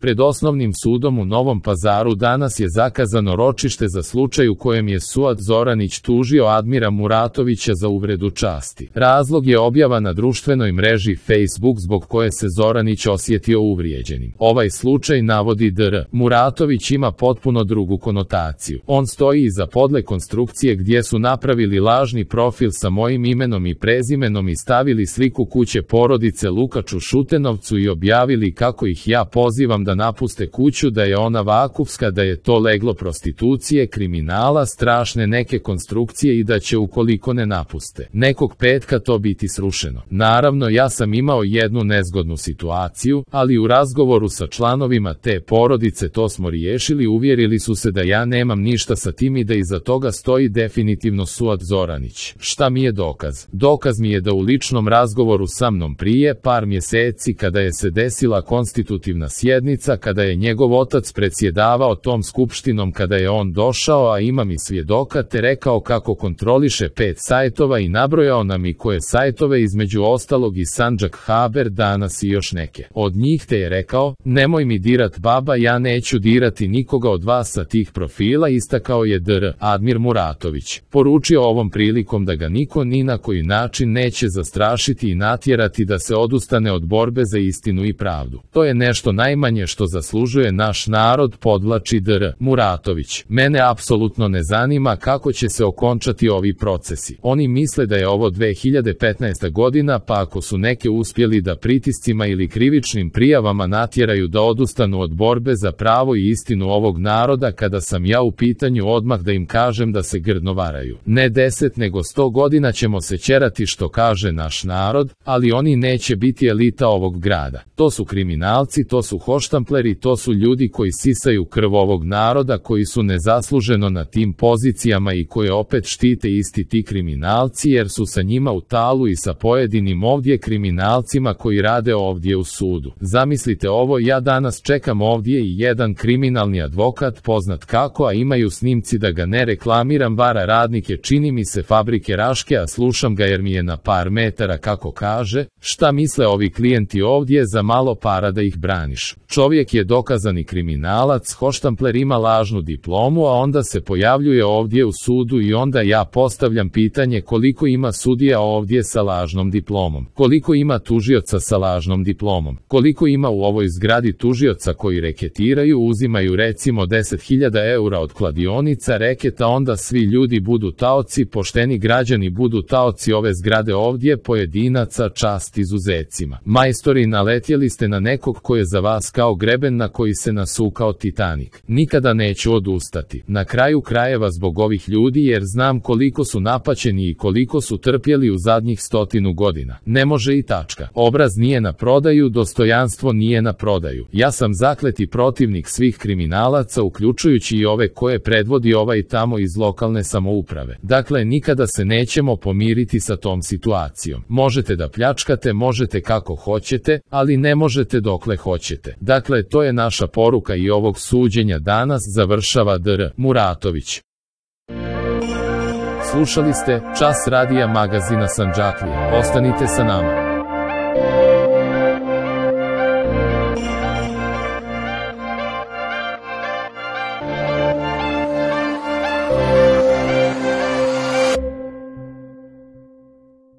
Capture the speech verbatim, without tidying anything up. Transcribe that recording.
Pred Osnovnim sudom u Novom Pazaru danas je zakazano ročište za slučaj u kojem je Suad Zoranić tužio Admira Muratovića za uvredu časti. Razlog je objava na društvenoj mreži Facebook zbog koje se Zoranić osjetio uvrijeđenim. Ovaj slučaj, navodi D R, Muratović ima potpuno drugu konotaciju. On stoji iza podle konstrukcije gdje su napravili lažni profil sa mojim imenom i prezimenom i stavili sliku kuće porodice Lukač u Šutenovcu i objavili kako ih ja pozivam da napuste kuću, da je ona vakufska, da je to leglo prostitucije, kriminala, strašne neke konstrukcije i da će ukoliko ne napuste nekog petka to biti srušeno. Naravno, ja sam imao jednu nezgodnu situaciju, ali u razgovoru sa članovima te porodice to smo riješili, uvjerili su se da ja nemam ništa sa tim i da iza toga stoji definitivno Suad Zoranić. Šta mi je dokaz? Dokaz mi je da u ličnom razgovoru sa mnom prije par mjeseci, kada je se desila konstitutivna sjednica, kada je njegov otac predsjedavao tom skupštinom, kada je on došao, a imam i svjedoka, te rekao kako kontroliše pet sajtova i nabrojao nam i koje sajtove, između ostalog i Sandžak Haber, Danas i još neke od njih, te je rekao: nemoj mi dirat baba, ja neću dirati nikoga od vas sa tih profila, istakao je D R Admir Muratović. Poručio ovom prilikom da ga niko ni na koji način neće zastrašiti i natjerati da se odustane od borbe za istinu i pravdu. To je nešto najmanje što zaslužuje naš narod, podvlači D R Muratović. Mene apsolutno ne zanima kako će se okončati ovi procesi. Oni misle da je ovo dve hiljade petnaesta godina, pa ako su neke uspjeli da pritiscima ili krivičnim prijavama natjeraju da odustanu od borbe za pravo i istinu ovog naroda, kada sam ja u pitanju, odmah da im kažem da se grdno varaju. Ne deset nego sto godina ćemo se ćerati, što kaže naš narod, ali oni neće biti elita ovog grada. To su kriminalci, to su hoštampleri, to su ljudi koji sisaju krv ovog naroda, koji su nezasluženo na tim pozicijama i koje opet štite isti ti kriminalci, jer su sa njima u talu i sa pojedinim ovdje kriminalcima koji rade ovdje u sudu. Zamislite ovo, ja danas čekam ovdje i jedan kriminalni advokat, poznat kako, a imaju snimci, da ga ne reklamiram, vara radnike, čini mi se, fabrike Raške, a slušam ga jer mi je na par metara, kako kaže. Šta misle ovi klijenti ovdje? Za malo para da ih braniš. Čovjek je dokazani kriminalac, hoštampler, ima lažnu diplomu, a onda se pojavljuje ovdje u sudu i onda ja postavljam pitanje koliko ima sudija ovdje sa lažnom diplomom, koliko ima tužioca sa lažnom diplomom, koliko ima u ovoj zgradi tužioca koji reketiraju, uzimaju recimo deset hiljada eura od kladionica reketa, onda svi ljudi budu taoci, pošteni građani budu taoci ove zgrade ovdje, pojedinaca, čast izuzecima. Majstori, naletjeli ste na nekog ko je za vas kao greben na koji se nasukao Titanik. Nikada neću odustati. Na kraju krajeva zbog ovih ljudi, jer znam koliko su napaćeni i koliko su trpjeli u zadnjih stotinu godina. Ne može i tačka. Obraz nije na prodaju, dostojanstvo nije na prodaju. Ja sam zakleti protivnik svih kriminalaca, uključujući i ove koje predvodi ovaj tamo iz lokalne samouprave. Dakle, nikada se nećemo pomiriti sa tom situacijom. Možete da pljačkate, možete kako hoćete, ali ne možete dokle hoćete. Dakle, to je naša poruka i ovog suđenja danas, završava D R Muratović. Slušali ste Čas radija magazina Sandžaklije. Ostanite sa nama.